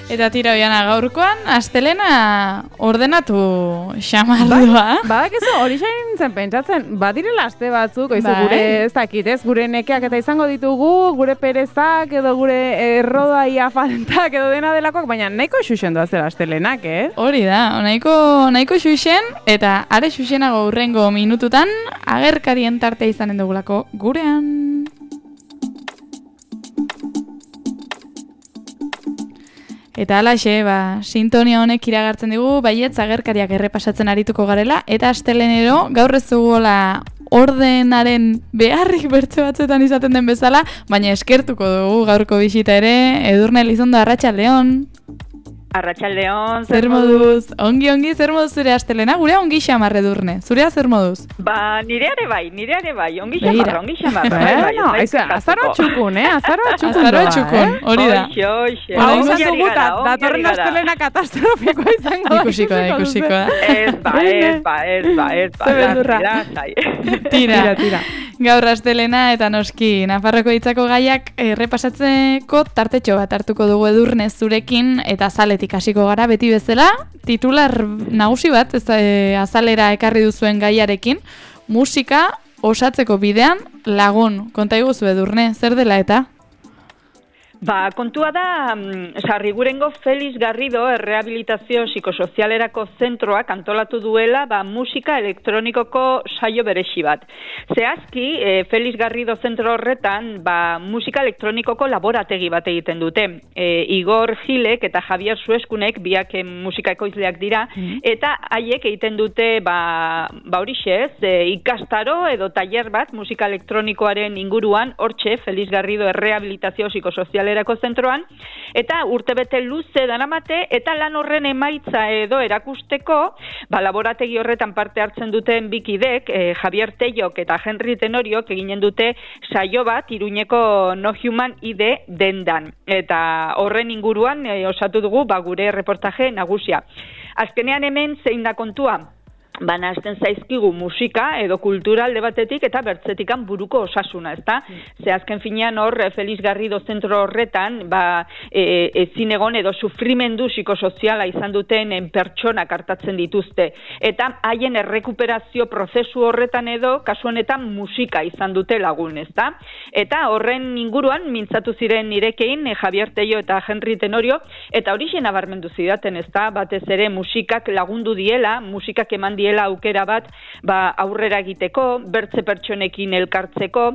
Eta tira oiana gaurkoan, astelena ordenatu xamardua. Badakizu, hori xain nintzen pentsatzen, badirela aste batzuk, gure ez dakit, ez, gure nekeak eta izango ditugu, gure perezak edo gure errodai afaltak edo dena delakoak, baina nahiko xuxen doazela astelenak, Hori da, nahiko xuxen, eta are xuxenago hurrengo minututan, agerkarien tartea izanen dugulako gurean. Eta alaxe, sintonia honek iragartzen digu, baietz agerkariak errepasatzen arituko garela, eta astelenero gaur ez duguela ordenaren beharrik bertze batzuetan izaten den bezala, baina eskertuko dugu gaurko bisita ere, Edurne Elizondo, arratsaldeon. Arratsaldeon, zer moduz? Ongi, zer moduz zure astelena? Gurea ongi xamar, Edurne. Zurea zer moduz? Nire ere bai, ongi xamar. Azaroa txukun, Azaroa txukun, hori da. Oixe. Hau izan dugu, datorren astelena katastrofikoa izango. Ikusiko da. Ez ba. Tira. Gaur astelena eta noski Nafarroko hitzako gaiak errepasatzeko tartetxo bat hartuko dugu Edurne zurekin eta azaletik hasiko gara beti bezala, titular nagusi bat azalera ekarri duzuen gaiarekin, musika osatzeko bidean lagun. Konta iguzu Edurne, zer dela eta? Kontua da, Sarrigurengo Felix Garrido errehabilitazio psikosozialerako zentroak antolatu duela musika elektronikoko saio beresi bat. Zehazki, Felix Garrido zentro horretan musika elektronikoko laborategi bat egiten dute. Igor Gilek eta Javier Sueskunek biak musika ekoizleak dira, eta haiek egiten dute horixez, ikastaro edo tailer bat musika elektronikoaren inguruan, hortxe Felix Garrido errehabilitazio psikosozialerako zentroan, eta urtebete luze daramate, eta lan horren emaitza edo erakusteko, laborategi horretan parte hartzen duten bikidek, Javier Tellok eta Henry Tenoriok eginen dute saio bat Iruñeko No Human ID dendan. Eta horren inguruan osatu dugu gure reportaje nagusia. Azkenean hemen zein da kontua? Banazten zaizkigu musika edo kultura alde batetik eta bertzetikan buruko osasuna, ezta? Ze azken finean hor Felix Garrido zentro horretan ezin egon edo sufrimendu psikosoziala izan duten pertsonak hartatzen dituzte. Eta haien errekuperazio prozesu horretan edo kasu honetan musika izan dute lagun, ezta? Eta horren inguruan mintzatu ziren nirekein Javier Tello eta Henry Tenorio, eta horixe nabarmendu zidaten, ezta? Batez ere musikak lagundu diela, musikak eman diela aukera bat aurrera egiteko, bertze pertsonekin elkartzeko,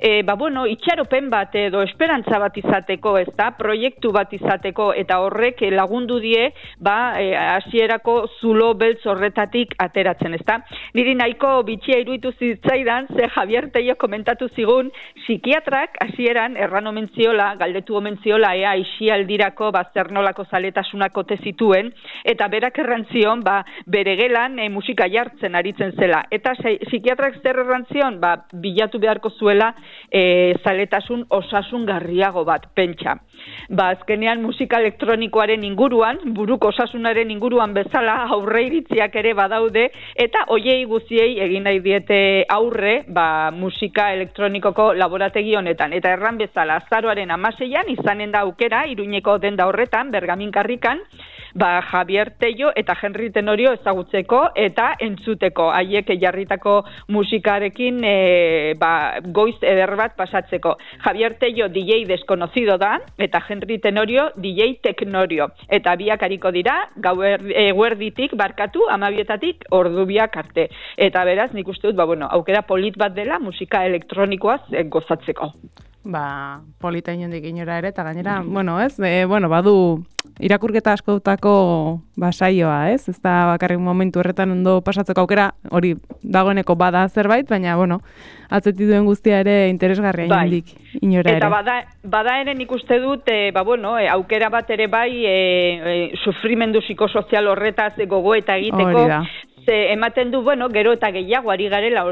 itxaropen bat edo esperantza bat izateko, ezta, proiektu bat izateko, eta horrek lagundu die hasierako zulo beltz horretatik ateratzen, ezta. Niri nahiko bitxia iruditu zitzaidan, ze Javier Tello komentatu zigun, psikiatrak hasieran erran omen ziola, galdetu omen ziola, ea isialdirako zer nolako zaletasunak ote zituen, eta berak errantzion, bere gelan musika jartzen aritzen zela. Eta psikiatrak zer errantzion? Bilatu beharko zuela zaletasun osasungarriago bat, pentsa. Azkenean musika elektronikoaren inguruan, buruko osasunaren inguruan bezala aurreiritziak ere badaude, eta hoiei guziei egin nahi diete aurre musika elektronikoko laborategi honetan. Eta erran bezala, azaroaren 16an izanen da aukera, Iruñeko denda horretan, Bergamin karrikan, Javier Tello eta Henry Tenorio ezagutzeko eta entzuteko, haiek jarritako musikarekin goiz eder bat pasatzeko. Javier Tello DJ desconocido da, eta Henry Tenorio DJ Teknorio. Eta biak hariko dira, eguerditik barkatu, 12etatik ordubiak arte. Eta beraz, nik uste dut, aukera polit bat dela musika elektronikoaz gozatzeko. Polita inondik inora ere, eta gainera, badu irakurketa askotako saioa, ez? Ez da bakarrik momentu horretan ondo pasatzeko aukera, hori dagoeneko bada zerbait, baina, atzetik duen guztia ere interesgarria inondik inora ere. Eta bada ere nik uste dut, aukera bat ere sufrimendu psikosozial horretaz gogoeta egiteko, Ze ematen du, gero eta gehiago ari garela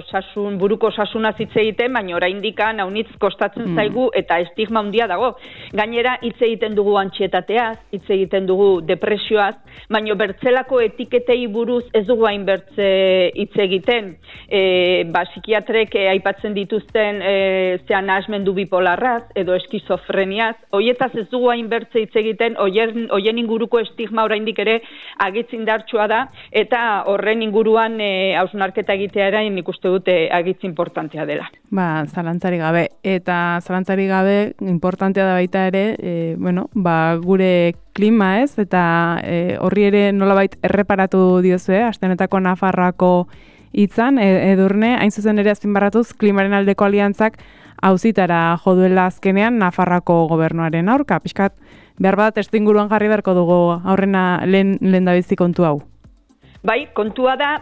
buruko osasuna hitz egiten, baina oraindik haunitz kostatzen zaigu eta estigma handia dago. Gainera, hitz egiten dugu antsietateaz, hitz egiten dugu depresioaz, baina bertzelako etiketei buruz ez dugu hain bertze hitz egiten. Psikiatrek aipatzen dituzten nahasmendu bipolarraz edo eskizofreniaz, hoietaz ez dugu hain bertze hitz egiten, hoien inguruko estigma oraindik ere agitz indartsua da, eta horren inguruan hausnarketa egitea nik uste dute agitz importantea dela. Zalantzarik gabe. Eta zalantzarik gabe importantea da baita ere, gure klima ez, eta horri ere nolabait erreparatu diozue, aste honetako Nafarroako hitzan, Edurne, hain zuzen ere azpimarratuz, klimaren aldeko aliantzak auzitara jo duela azkenean Nafarroako gobernuaren aurka. Pixkat, behar bat testuinguruan jarri beharko dugu aurrena lehen dabizi kontu hau. Bai, kontua da,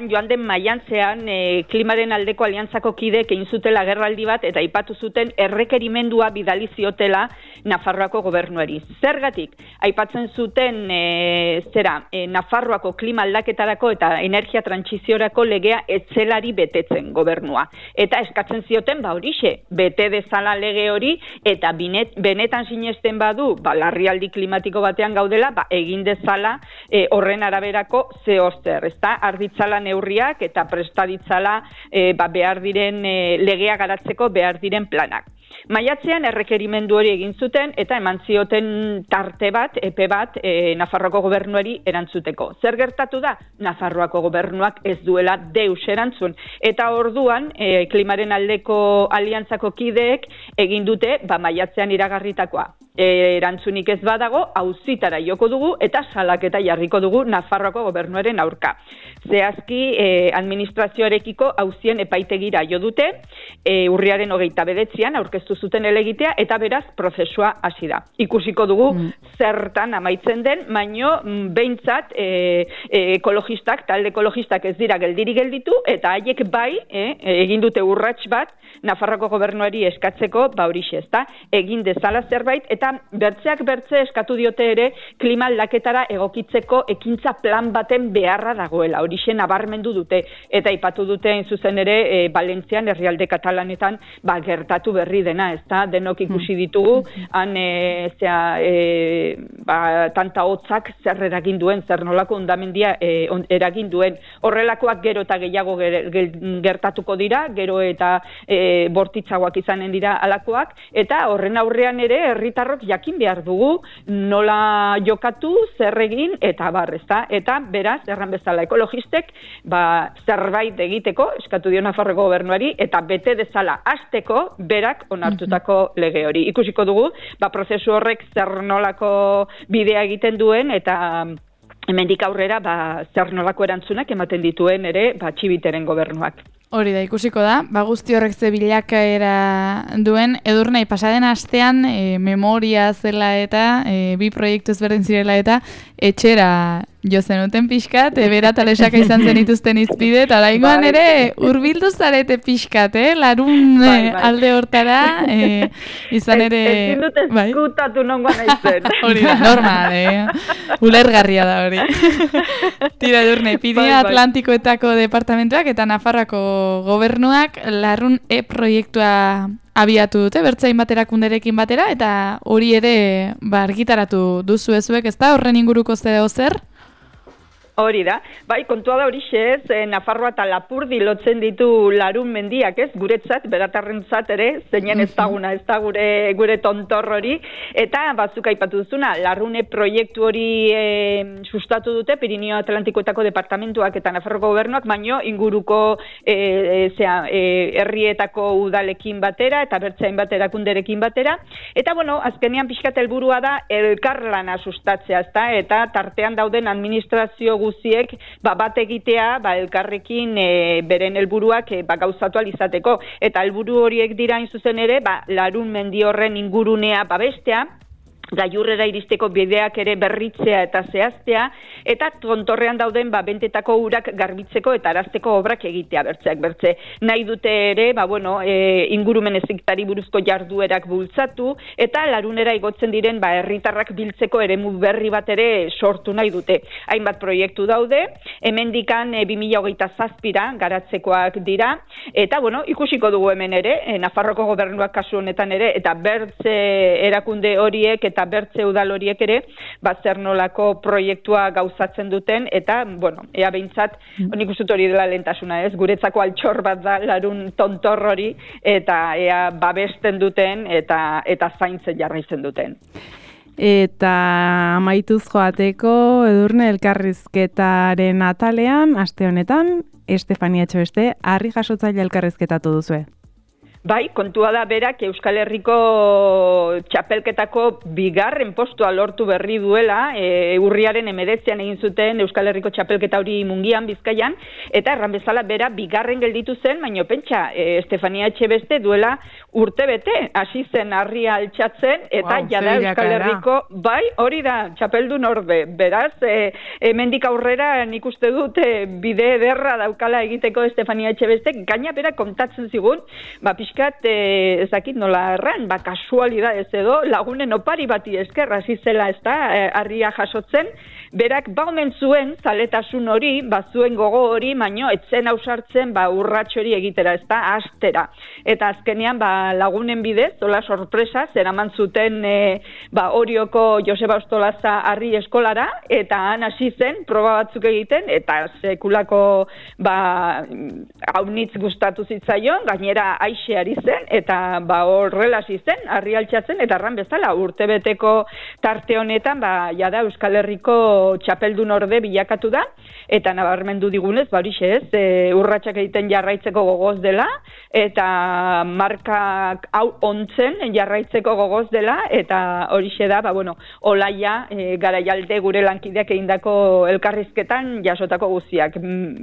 joan den maiatzean klimaren aldeko aliantzako kideek egin zutela agerraldi bat eta aipatu zuten errekerimendua bidali ziotela Nafarroako gobernuari. Zergatik, aipatzen zuten Nafarroako klima aldaketarako eta energia trantsiziorako legea etzelari betetzen gobernua. Eta eskatzen zioten, horixe, bete dezala lege hori eta benetan sinesten badu, larrialdi klimatiko batean gaudela, egin dezala horren araberako zehozer, arditzala neurriak eta prestaditzala behar diren legea garatzeko behar diren planak. Maiatzean errekerimendu hori egin zuten eta eman zioten tarte bat, epe bat, Nafarroako gobernuari erantzuteko. Zer gertatu da? Nafarroako gobernuak ez duela deus erantzun. Eta orduan, klimaren aldeko aliantzako kideek egin dute, maiatzean iragarritakoa. Erantzunik ez badago, auzitara joko dugu eta salaketa jarriko dugu Nafarroako gobernuaren aurka. Zehazki, administrazioarekiko auzien epaitegira jo dute, urriaren 29an aurkeztu zuten elegitea eta beraz prozesua hasi da. Ikusiko dugu zertan amaitzen den, baino behintzat ekologistak, talde ekologistak ez dira geldirik gelditu eta haiek bai, egin dute urrats bat Nafarroako gobernuari eskatzeko, horixe ezta, egin dezala zerbait eta bertzeak bertze eskatu diote ere klima aldaketara egokitzeko ekintza plan baten beharra dagoela, horixe nabarmendu dute eta aipatu dute zuzen ere Valentzian, herrialde katalanetan gertatu berri dena, ezta, denok ikusi ditugu, han tanta hotzak zer eragin duen, zer nolako hondamendia eragin duen, horrelakoak gero eta gehiago gertatuko dira, gero eta bortitzagoak izanen dira alakoak, eta horren aurrean ere herritarrok jakin behar dugu nola jokatu, zer egin, eta ezta, eta beraz, erran bezala ekologistek, zerbait egiteko, eskatu dio Nafarroako gobernuari, eta bete dezala hasteko berak onartutako lege hori. Ikusiko dugu, prozesu horrek zer nolako bidea egiten duen, eta hemendik aurrera zer nolako erantzunak ematen dituen ere Txibiteren gobernuak. Hori da, ikusiko da, guzti horrek ze bilakaera duen, Edurne, pasaden astean memoria zela eta bi proiektu ezberdin zirela eta etxera jo zenuten pixkat, bera talesaka izan zenituzten izpide, eta oraingoan ere hurbildu zarete pixkat, larun alde hortara, izan ere... Ezin dut eskutatu nongoan aizen. Hori da, normal, ulergarria da hori. Tira, Edurne, Pirineo Atlantikoetako departamentuak eta Nafarroako gobernuak larun proiektua abiatu dute, bertzain baterakunderekin batera, eta hori ere argitaratu duzu ezuek, ez da, horren inguruko zer? Hori da, kontua da horixe ez, Nafarroa eta Lapurdi lotzen ditu larun mendiak ez, guretzat, beratarrentzat ere, zeinen ez daguna, ez da gure tontor hori, eta batzuk aipatu duzuna, larrune proiektu hori sustatu dute, Pirineo Atlantikoetako departamentuak eta Nafarroko gobernuak, baino inguruko herrietako udalekin batera, eta bertzain baterakunderekin batera, eta azkenean pixkat helburua da elkarlana sustatzea, eta tartean dauden administrazio guziek bat egitea elkarrekin beren helburuak gauzatu alizateko. Eta helburu horiek dira zuzen ere larun mendi horren ingurunea babestea, gailurrera iristeko bideak ere berritzea eta zehaztea, eta tontorrean dauden bentetako urak garbitzeko eta arazteko obrak egitea bertze. Nahi dute ere, ingurumen heziketari buruzko jarduerak bultzatu, eta larunera igotzen diren herritarrak biltzeko eremu berri bat ere sortu nahi dute. Hainbat proiektu daude, hemendikan 2027ra garatzekoak dira, eta ikusiko dugu hemen ere, Nafarroko gobernuak kasu honetan ere, eta bertze erakunde horiek eta bertze udal horiek ere, zer nolako proiektua gauzatzen duten, eta, ea behintzat, nik uste hori dela lehentasuna, ez? Guretzako altxor bat da larun tontor hori, eta ea babesten duten, eta zaintzen jarraitzen duten. Eta amaituz joateko, Edurne, elkarrizketaren atalean, aste honetan, Estefania Etxebeste, harri jasotzaile elkarrizketatu duzue. Bai, kontua da berak Euskal Herriko txapelketako 2. postua lortu berri duela, urriaren 19an egin zuten Euskal Herriko txapelketa hori Mungian, Bizkaian, eta erran bezala bera 2. gelditu zen, baina pentsa, Estefania Etxebeste duela urtebete, hasi zen harria altxatzen, eta jada Euskal Herriko, bai, hori da, txapeldun orde, beraz, hemendik aurrera nik uste dut bide ederra daukala egiteko Estefania Etxebeste, gaina bera kontatzen zigun, pixkat, ezakit nola erran, kasualidadez edo, lagunen opari bati esker, hasi zela ez da, harria jasotzen, berak omen zuen zaletasun hori, zuen gogo hori, baino etzen ausartzen urratxo hori egitera, ez da, astera. Eta azkenean lagunen bidez, hola sorpresa, zeraman zuten Orioko Joseba Ostolaza harri eskolara, eta han hasi zen, proba batzuk egiten, eta sekulako haunitz gustatu zitzaion, gainera aixe ari zen, eta horrela hasi zen, harri altxatzen, eta erran bezala, urtebeteko tarte honetan, jada Euskal Herriko txapeldun orde bilakatu da, eta nabarmendu digunez, horixe ez, urratsak egiten jarraitzeko gogoz dela, eta markak hau ontzen jarraitzeko gogoz dela, eta horixe da, Olaia, Garaialde gure lankideak egindako elkarrizketan jasotako guztiak.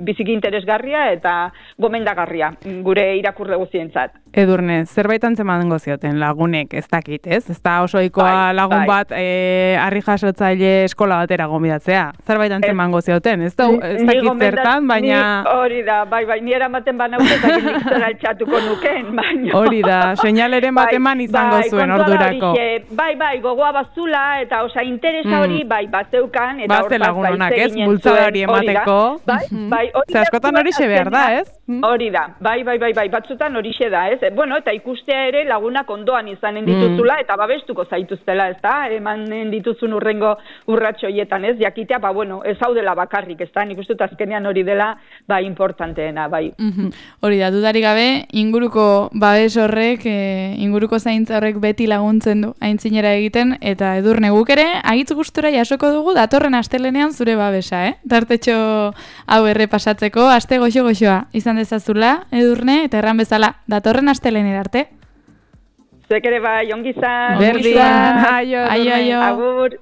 Biziki interesgarria eta gomendagarria, gure irakurle guztientzat. Edurne, zerbait antzeman gozioten lagunek, ez dakit, ez? Ez da osoikoa lagun bat harri jasotzaile eskola batera gomidatzea. Zerbait antzeman gozioten, ez dakit zertan, baina... Hori da, bai, ni eramaten banaute eta nik zer altxatuko nuken, baina... Hori da, seinaleren bat eman izango zuen ordurako. Bai, gogoa bazula, eta interesa hori, bazeukan, eta hortaz lagun honak, ez? Bultzada hori emateko. Bai, Zer askotan horixe behar da, ez? Hori da, bai, batzutan horixe da, ez? Eta ikustea ere lagunak ondoan izanen dituzula, eta babestuko zaituztela, ez da? Emanen dituzun urrengo urratxoietan, ez? Jakitea, ez hau dela bakarrik, ez da? Nik uste dut azkenean hori dela, importanteena, bai. Hori da, dudarik gabe, inguruko babes horrek, inguruko zaintza horrek beti laguntzen du, aintzinera egiten, eta Edurne guk ere, agitz gustura jasoko dugu, datorren astelenean zure babesa, Tartetxo hau errepasatzeko, aste goxo-goxoa izan dezazula, Edurne, eta erran bezala, datorren astelener arte. Zuek ere bai, ongizan. Berdin. Aio. Agur.